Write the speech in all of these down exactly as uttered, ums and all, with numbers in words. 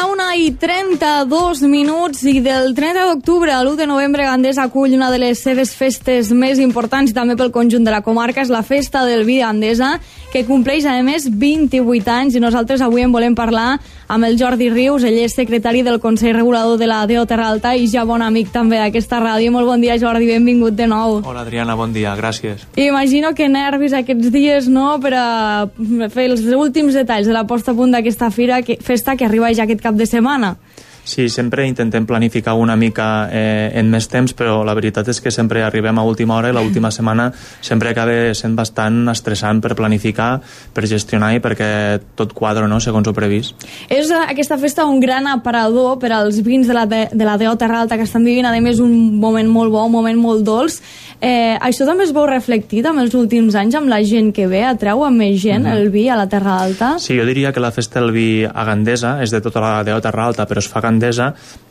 la una i trenta-dos minuts i del trenta d'octubre a l'u de novembre Gandesa acull una de les seves festes més importants i també pel conjunt de la comarca, és la Festa del Vi Gandesa, que compleix a més vint-i-vuit anys, i nosaltres avui en volem parlar amb el Jordi Rius. Ell és secretari del Consell Regulador de la D O Terra Alta i ja bon amic també d'aquesta ràdio. Molt bon dia, Jordi, benvingut de nou. Hola, Adriana, bon dia, gràcies. Imagino que nervis aquests dies, no?, per a fer els últims detalls de la posta a punt d'aquesta fira, que, festa que arriba ja aquest cap de setmana. Sí, sempre intentem planificar una mica eh, en més temps, però la veritat és que sempre arribem a última hora i l'última setmana sempre acaba sent bastant estressant per planificar, per gestionar i perquè tot quadra, no?, segons ho previst. És aquesta festa un gran aparador per als vins de la, de, de la D O Terra Alta, que estan vivint, a més, un moment molt bo, un moment molt dolç. Eh, això també es veu reflectit en els últims anys amb la gent que ve, atreu a més gent mm-hmm. el vi a la Terra Alta? Sí, jo diria que la Festa del Vi a Gandesa és de tota la D O Terra Alta, però es fa Gandesa,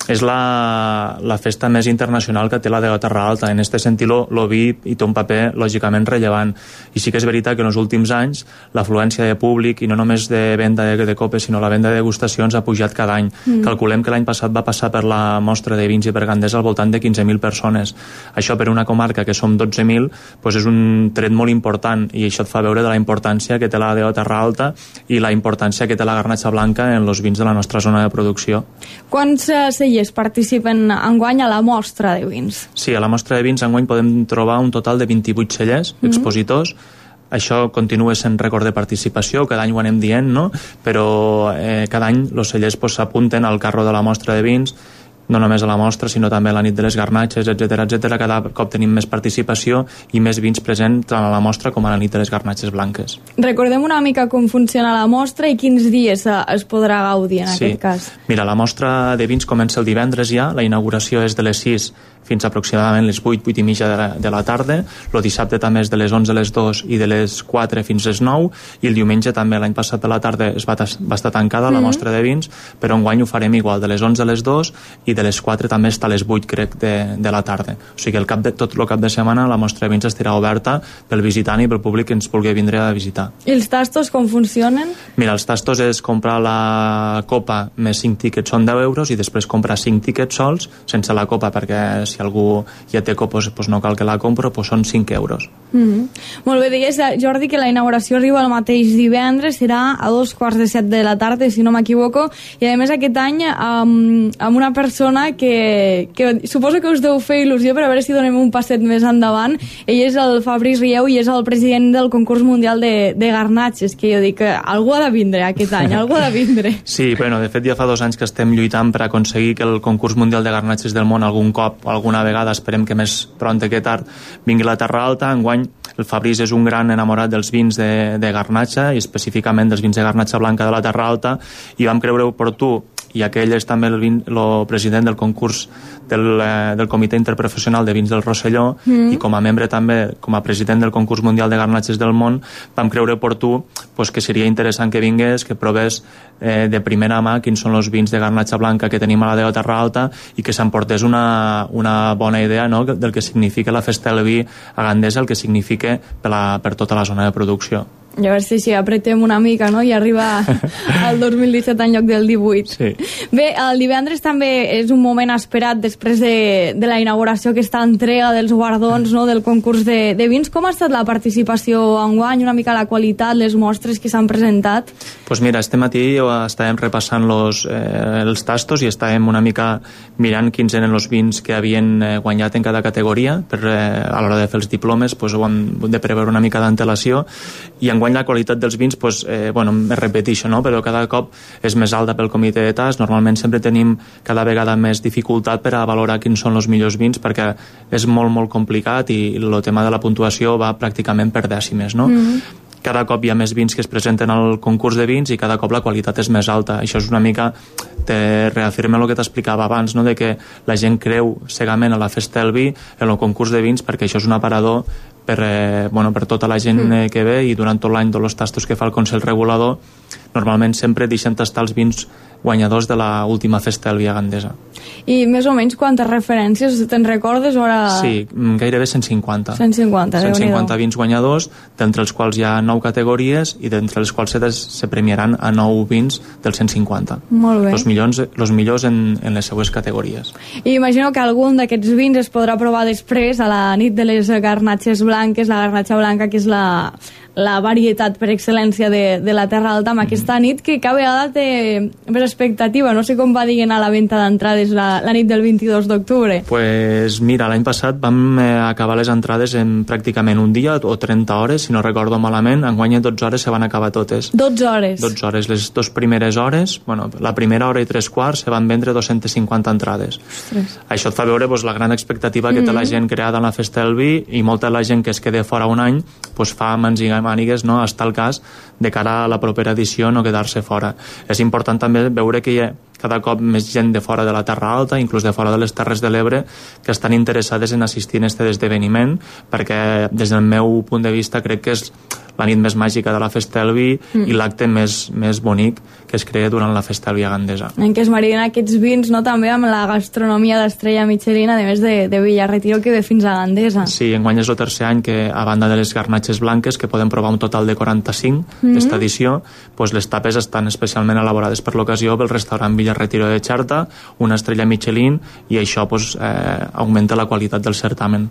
és la, la festa més internacional que té la D O Terra Alta. En aquest sentit, el vi hi té un paper lògicament rellevant. I sí que és veritat que en els últims anys l'afluència de públic, i no només de venda de, de copes, sinó la venda de degustacions, ha pujat cada any. Mm. Calculem que l'any passat va passar per la mostra de vins i per Gandesa al voltant de quinze mil persones. Això per una comarca que som dotze mil, doncs és un tret molt important, i això et fa veure de la importància que té la D O Terra Alta i la importància que té la garnatxa blanca en els vins de la nostra zona de producció. Quants cellers participen enguany a la mostra de vins? Sí, a la mostra de vins enguany podem trobar un total de vint-i-vuit cellers, mm-hmm. expositors. Això continua sent rècord de participació, cada any ho anem dient, no? Però eh, cada any els cellers s'apunten pues, al carro de la mostra de vins, no només a la mostra, sinó també a la nit de les garnatxes, etcètera, etcètera. Cada cop tenim més participació i més vins presents tant a la mostra com a la nit de les garnatxes blanques. Recordem una mica com funciona la mostra i quins dies es podrà gaudir en sí. aquest cas. Mira, la mostra de vins comença el divendres ja, la inauguració és de les sis fins aproximadament les vuit, vuit i mitja de la, de la tarda. El dissabte també és de les onze a les dos i de les quatre fins a les nou, i el diumenge també, l'any passat a la tarda es va, va estar tancada la mm-hmm. mostra de vins, però enguany ho farem igual, de les onze a les dos i de les quatre també està a les vuit, crec, de, de la tarda. O sigui, el cap de, tot el cap de setmana la mostra de vins estarà oberta pel visitant i pel públic que ens vulgui vindre a visitar. I els tastos com funcionen? Mira, els tastos és comprar la copa més cinc tíquets, són deu euros, i després comprar cinc tíquets sols, sense la copa, perquè si algú ja té copos, doncs no cal que la compro, doncs són cinc euros. Mm-hmm. Molt bé, deies, Jordi, que la inauguració arriba el mateix divendres, serà a dos quarts de set de la tarda, si no m'equivoco, i a més aquest any amb, amb una persona que, que suposo que us deu fer il·lusió, per a veure si donem un passet més endavant. Ell és el Fabrice Rieu i és el president del concurs mundial de, de garnatxes, que jo dic que algú ha de vindre aquest any, algú ha de vindre. Sí, bueno, de fet ja fa dos anys que estem lluitant per aconseguir que el concurs mundial de garnatxes del món algun cop, alguna vegada, esperem que més pront que tard, vingui a la Terra Alta. Enguany el Fabrice és un gran enamorat dels vins de, de garnatxa, i específicament dels vins de garnatxa blanca de la Terra Alta, i vam creure oportú, i aquell és també el, vin, el president del concurs del, eh, del Comitè Interprofessional de Vins del Rosselló, mm. i com a membre també, com a president del concurs mundial de garnatxes del món, vam creure oportú pues, que seria interessant que vingués, que provés eh, de primera mà quins són els vins de garnatxa blanca que tenim a la D O Terra Alta, i que s'emportés una, una bona idea, no?, del que significa la Festa del Vi a Gandesa, el que significa per, la, per tota la zona de producció. I a veure si, si apretem una mica, no?, i arriba al dos mil disset en lloc del divuit. Sí. Bé, el divendres també és un moment esperat després de, de la inauguració, aquesta entrega dels guardons, no?, del concurs de, de vins. Com ha estat la participació enguany, una mica la qualitat, les mostres que s'han presentat? Doncs pues mira, este matí estàvem repassant los, eh, els tastos i estàvem una mica mirant quins eren els vins que havien eh, guanyat en cada categoria, per, eh, a l'hora de fer els diplomes pues, ho hem de preveure una mica d'antelació, i enguany la qualitat dels vins, pues, eh, bueno, me repeteixo, no? Però cada cop és més alta pel comitè de tast. Normalment sempre tenim cada vegada més dificultat per a valorar quins són els millors vins, perquè és molt, molt complicat, i el tema de la puntuació va pràcticament per dècimes, no? Mm-hmm. Cada cop hi ha més vins que es presenten al concurs de vins i cada cop la qualitat és més alta. Això és una mica, te reafirma el que t'explicava abans, no?, de que la gent creu cegament a la Festa del Vi, en el concurs de vins, perquè això és un aparador per, eh, bueno, per tota la gent eh, que ve, i durant tot l'any tots els tastos que fa el Consell Regulador normalment sempre deixen tastar els vins guanyadors de la última festa del Via Gandesa. I més o menys quantes referències te'n recordes? Ara... Sí, gairebé cent cinquanta. cent cinquanta, cent cinquanta vins guanyadors, d'entre els quals hi ha nou categories i d'entre els quals se, des, se premiaran a nou vins dels cent cinquanta. Molt bé. Els millors, els millors en, en les seues categories. I imagino que algun d'aquests vins es podrà provar després a la nit de les garnatxes blanques, la garnatxa blanca, que és la, la varietat per excel·lència de, de la Terra Alta, amb aquesta nit que cada vegada té més expectativa. No sé com va dient a la venda d'entrades la, la nit del vint-i-dos d'octubre. Pues mira, l'any passat vam eh, acabar les entrades en pràcticament un dia o trenta hores, si no recordo malament. Enguany en dotze hores se van acabar totes. dotze hores? dotze hores. Les dues primeres hores, bueno, la primera hora i tres quarts se van vendre dos-centes cinquanta entrades. Ostres. Això et fa veure pues, la gran expectativa que mm-hmm. té la gent creada en la festa del vi, i molta de la gent que es queda fora un any pues, fa mans i mànigues, no?, hasta el cas de cara a la propera edició no quedar-se fora. És important també veure que hi ha cada cop més gent de fora de la Terra Alta, inclús de fora de les Terres de l'Ebre, que estan interessades en assistir a aquest esdeveniment, perquè des del meu punt de vista crec que és la nit més màgica de la festa del vi mm. i l'acte més, més bonic que es crea durant la festa del Via Gandesa. En què es mariden aquests vins, no?, també amb la gastronomia d'Estrella Michelin, a més de, de Villarretiro, que ve fins a Gandesa. Sí, enguany és el tercer any que, a banda de les garnatxes blanques, que podem provar un total de quaranta-cinc mm-hmm. d'esta edició, pues les tapes estan especialment elaborades per l'ocasió pel restaurant Villarretiro de Xerta, una estrella Michelin, i això pues, eh, augmenta la qualitat del certamen.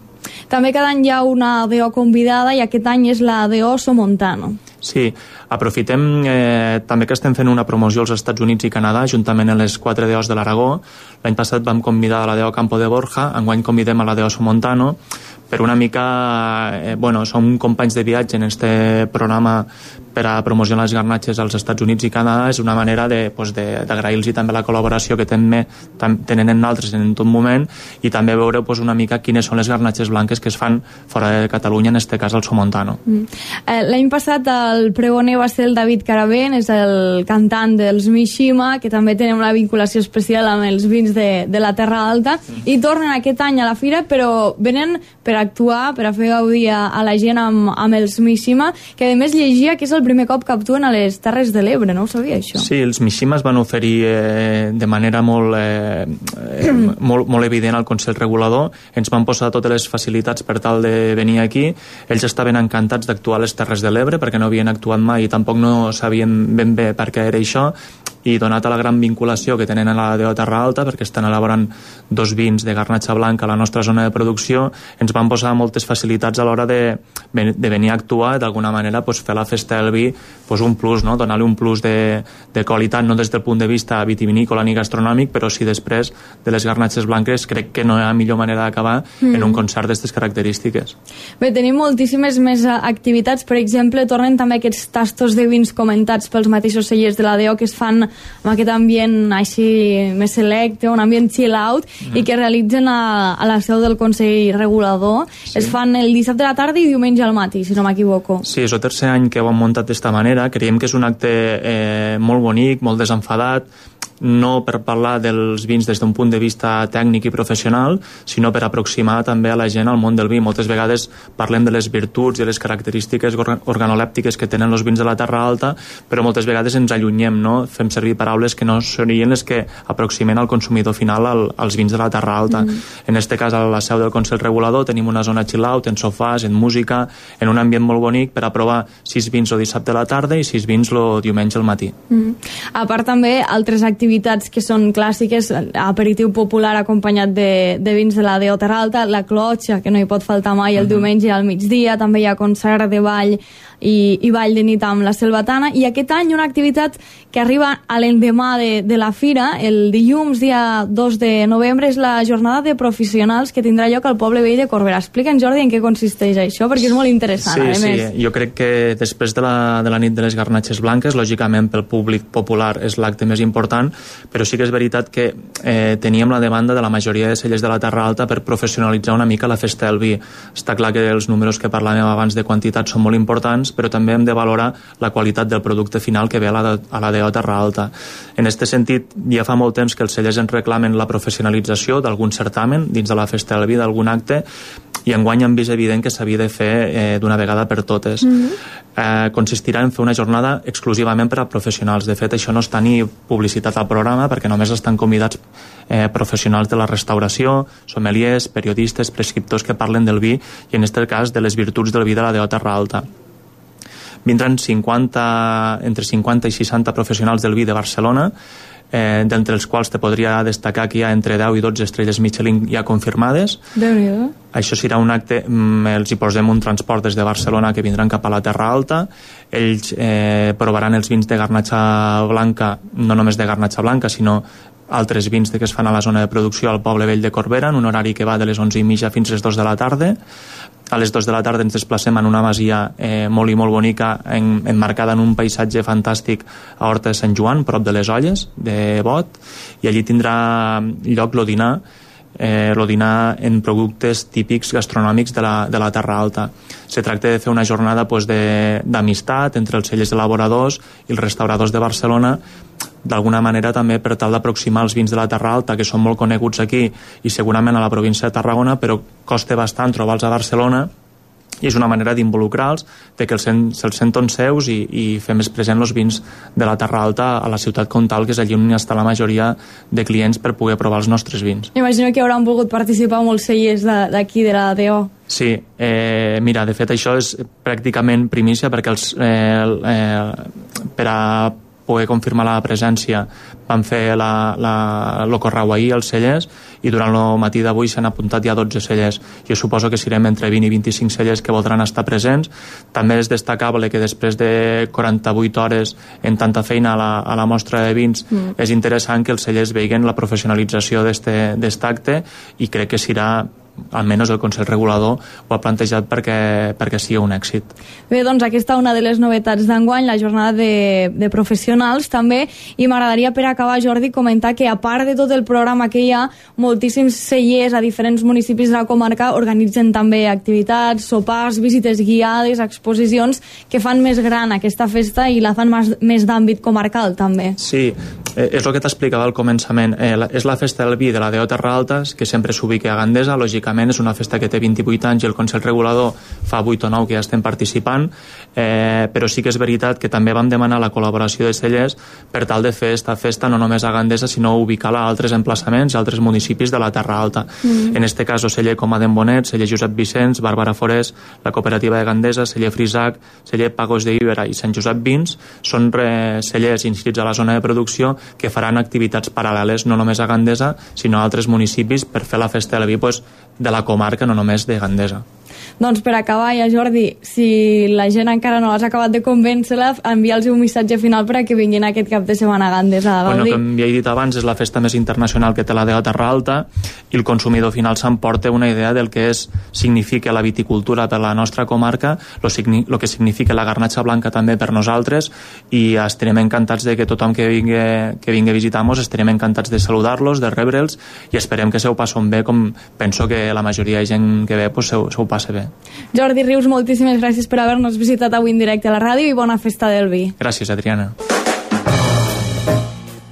També cada any hi ha una D O convidada, i aquest any és la D O Somontano. Sí, aprofitem eh, també que estem fent una promoció als Estats Units i Canadà juntament amb les quatre D Os de l'Aragó. L'any passat vam convidar a la D O Campo de Borja, enguany convidem a la D O Somontano, per una mica, eh, bueno, som companys de viatge en este programa per a promocionar les garnatxes als Estats Units i Canadà. És una manera de, pues, d'agrair-los també la col·laboració que tenen, tenen en altres en tot moment, i també veure pues, una mica quines són les garnatxes blanques que es fan fora de Catalunya, en este cas al Somontano. Mm. Eh, L'any passat el pregoner va ser el David Caravent, és el cantant dels Mishima, que també tenen una vinculació especial amb els vins de, de la Terra Alta, mm. i tornen aquest any a la fira, però venen per actuar, per a fer gaudir a, a la gent amb, amb els Mishima, que a més llegia que és el primer cop que actuen a les Terres de l'Ebre. No ho sabia, això? Sí, els Mishima es van oferir eh, de manera molt, eh, eh, molt, molt evident al Consell Regulador. Ens van posar totes les facilitats per tal de venir aquí. Ells estaven encantats d'actuar a les Terres de l'Ebre perquè no havien actuat mai i tampoc no sabien ben bé per què era això, i donat a la gran vinculació que tenen a la D O Terra Alta, perquè estan elaborant dos vins de garnatxa blanca a la nostra zona de producció, ens van posar moltes facilitats a l'hora de, de venir a actuar i d'alguna manera pues, fer la festa del vi pues, un plus, no? Donar-li un plus de, de qualitat, no des del punt de vista vitivinícola ni gastronòmic, però sí després de les garnatxes blanques crec que no hi ha millor manera d'acabar mm. en un concert d'aquestes característiques. Bé, tenim moltíssimes més activitats. Per exemple, tornen també aquests tastos de vins comentats pels mateixos cellers de la D O, que es fan amb aquest ambient així més selecte, un ambient chill out, mm. i que realitzen a, a la seu del Consell Regulador. Sí. Es fan el dissabte a la tarda i diumenge al matí, si no m'equivoco. Sí, és el tercer any que ho hem muntat d'esta manera. Creiem que és un acte eh, molt bonic, molt desenfadat, no per parlar dels vins des d'un punt de vista tècnic i professional, sinó per aproximar també a la gent al món del vi. Moltes vegades parlem de les virtuts i les característiques organolèptiques que tenen els vins de la Terra Alta, però moltes vegades ens allunyem, no? Fem servir paraules que no serien les que aproximen al consumidor final al, als vins de la Terra Alta. Mm. En este cas, a la seu del Consell Regulador tenim una zona chill out, en sofàs, en música, en un ambient molt bonic per a provar sis vins el dissabte a la tarda i sis vins el diumenge al matí. Mm. A part també altres activitats activitats que són clàssiques, aperitiu popular acompanyat de, de vins de la D O Terra Alta, la clotxa, que no hi pot faltar mai el uh-huh. diumenge al migdia, també hi ha concert de ball i, i ball de nit amb la Selvatana, i aquest any una activitat que arriba a l'endemà de, de la fira, el dilluns, dia dos de novembre, és la jornada de professionals que tindrà lloc al poble vell de Corbera. Explica'ns, Jordi, en què consisteix això, perquè és molt interessant, sí, a sí. més. Jo crec que després de la, de la nit de les garnatxes blanques, lògicament pel públic popular és l'acte més important, però sí que és veritat que eh, teníem la demanda de la majoria de cellers de la Terra Alta per professionalitzar una mica la festa del vi. Està clar que els números que parlàvem abans de quantitat són molt importants, però també hem de valorar la qualitat del producte final que ve a la, a la D O Terra Alta. En aquest sentit, ja fa molt temps que els cellers ens reclamen la professionalització d'algun certamen dins de la festa del vi, d'algun acte, i enguany hem vist evident que s'havia de fer eh, d'una vegada per totes. Mm-hmm. eh, consistirà en fer una jornada exclusivament per a professionals. De fet, això no està ni publicitat al programa perquè només estan convidats eh, professionals de la restauració, sommeliers, periodistes, prescriptors que parlen del vi i en aquest cas de les virtuts del vi de la D O Terra Alta. Vindran cinquanta, entre cinquanta i seixanta professionals del vi de Barcelona, eh, d'entre els quals te podria destacar que hi ha entre deu i dotze estrelles Michelin ja confirmades. Déu-n'hi-do. Això serà un acte, els hi posem un transport des de Barcelona que vindran cap a la Terra Alta. Ells eh, provaran els vins de garnatxa blanca, no només de garnatxa blanca, sinó altres vins que es fan a la zona de producció al poble vell de Corbera, en un horari que va de les onze i mitja fins a les dos de la tarda. A les dos de la tarda ens desplacem en una masia eh, molt i molt bonica, en, enmarcada en un paisatge fantàstic a Horta de Sant Joan, prop de les Olles, de Bot, i allí tindrà lloc el dinar, eh, el dinar en productes típics gastronòmics de la, de la Terra Alta. Se tracta de fer una jornada pues, d'amistat entre els cellers elaboradors i els restauradors de Barcelona, d'alguna manera també per tal d'aproximar els vins de la Terra Alta, que són molt coneguts aquí i segurament a la província de Tarragona, però costa bastant trobar-los a Barcelona, i és una manera d'involucrar-los, de que se'ls se senten seus i, i fer més present els vins de la Terra Alta a la ciutat comtal, que és allí on està la majoria de clients per poder provar els nostres vins. Imagino que hauran volgut participar molts cellers d'aquí, de, de la D O. Sí, eh, mira, de fet això és pràcticament primícia perquè els, eh, eh, per a poder confirmar la presència van fer la, la, el correu ahir als cellers i durant el matí d'avui s'han apuntat ja dotze cellers. Jo suposo que serem entre vint i vint-i-cinc cellers que voldran estar presents. També és destacable que després de quaranta-vuit hores en tanta feina a la, a la mostra de vins mm. és interessant que els cellers veguen la professionalització d'aquest acte i crec que serà, almenys el Consell Regulador ho ha plantejat perquè, perquè sigui un èxit. Bé, doncs aquesta una de les novetats d'enguany, la jornada de, de professionals també, i m'agradaria per acabar, Jordi, comentar que a part de tot el programa que hi ha, moltíssims cellers a diferents municipis de la comarca organitzen també activitats, sopars, visites guiades, exposicions que fan més gran aquesta festa i la fan més, més d'àmbit comarcal també. Sí, eh, és el que t'explicava al començament. Eh, la, és la festa del vi de la D O Terra Alta, que sempre s'ubica a Gandesa, lògicament és una festa que té vint-i-vuit anys i el Consell Regulador fa vuit o nou que ja estem participant, eh, però sí que és veritat que també vam demanar la col·laboració de cellers per tal de fer esta festa no només a Gandesa, sinó ubicar-la a altres emplaçaments i altres municipis de la Terra Alta. Mm. En este cas, celler Comaden Bonet, celler Josep Vicenç, Bàrbara Forés, la cooperativa de Gandesa, celler Frisac, celler Pagos de Ibera i Sant Josep Vins, són re, cellers inscrits a la zona de producció que faran activitats paral·leles no només a Gandesa, sinó a altres municipis per fer la festa del vi pues, de la comarca, no només de Gandesa. Doncs per acabar ja, Jordi, si la gent encara no has acabat de convèncer-la, envia'ls un missatge final per a que vinguin aquest cap de setmana a Gandesa a gaudir. Bueno, com ja he dit abans, és la festa més internacional que té la D O Terra Alta i el consumidor final s'emporta una idea del que és, significa la viticultura per la nostra comarca, lo, lo que significa la garnatxa blanca també per nosaltres, i estarem encantats de que tothom que vingui, que vingui a visitar-nos, estarem encantats de saludar-los, de rebre'ls, i esperem que se ho passen bé, com penso que la majoria de gent que ve pues, se, se ho passa bé. Jordi Rius, moltíssimes gràcies per haver-nos visitat avui en directe a la ràdio i bona festa del vi. Gràcies, Adriana.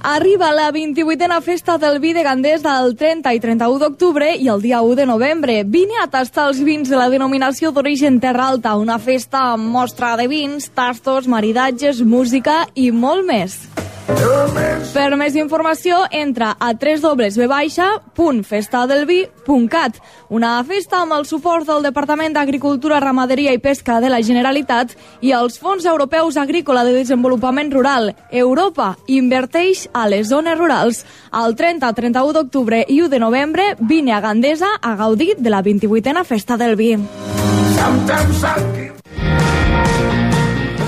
Arriba la vint-i-vuitena festa del vi de Gandesa el trenta i trenta-u d'octubre i el dia u de novembre. Vine a tastar els vins de la denominació d'origen Terra Alta, una festa amb mostra de vins, tastos, maridatges, música i molt més. Per més informació, entra a w w w punt festadelvi punt cat. Una festa amb el suport del Departament d'Agricultura, Ramaderia i Pesca de la Generalitat i els Fons Europeus Agrícola de Desenvolupament Rural. Europa inverteix a les zones rurals. El trenta, trenta-u d'octubre i u de novembre, vine a Gandesa a gaudir de la vint-i-vuitena festa del vi.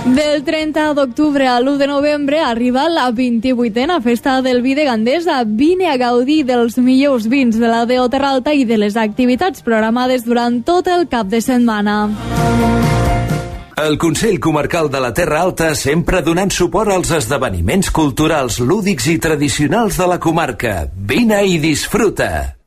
Del trenta d'octubre a l'u de novembre arriba la vint-i-vuitena festa del vi de Gandesa. Vine a gaudir dels millors vins de la D O Terra Alta i de les activitats programades durant tot el cap de setmana. El Consell Comarcal de la Terra Alta sempre donant suport als esdeveniments culturals, lúdics i tradicionals de la comarca. Vine i disfruta!